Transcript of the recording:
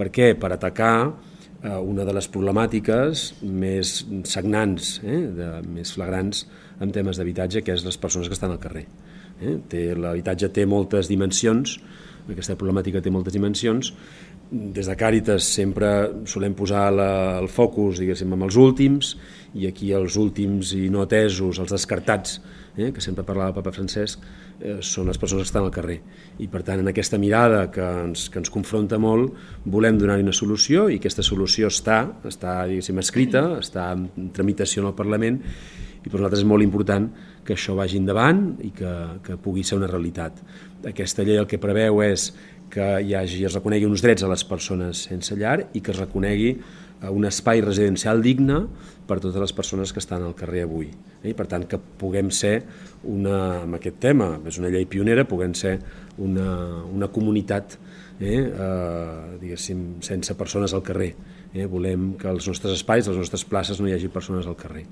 Per què? Per atacar una de les problemàtiques més sagnants, més flagrants en temes d'habitatge, que és les persones que estan al carrer. L'habitatge té moltes dimensions, aquesta problemàtica té moltes dimensions. Des de Càritas sempre solem posar el focus, diguéssim, en els últims, i aquí els últims i no atesos, els descartats, que sempre parlava el papa Francesc, són les persones que estan al carrer. I per tant, en aquesta mirada que ens confronta molt, volem donar-hi una solució, i aquesta solució està diguéssim, escrita, està en tramitació en el Parlament, i per nosaltres és molt important que això vagi endavant i que pugui ser una realitat. Aquesta llei el que preveu és que es reconegui uns drets a les persones sense llar i que es reconegui un espai residencial digne per a totes les persones que estan al carrer avui. I per tant que puguem ser, amb aquest tema, és una llei pionera, puguem ser una comunitat diguéssim, sense persones al carrer. Volem que als nostres espais, a les nostres places, no hi hagi persones al carrer.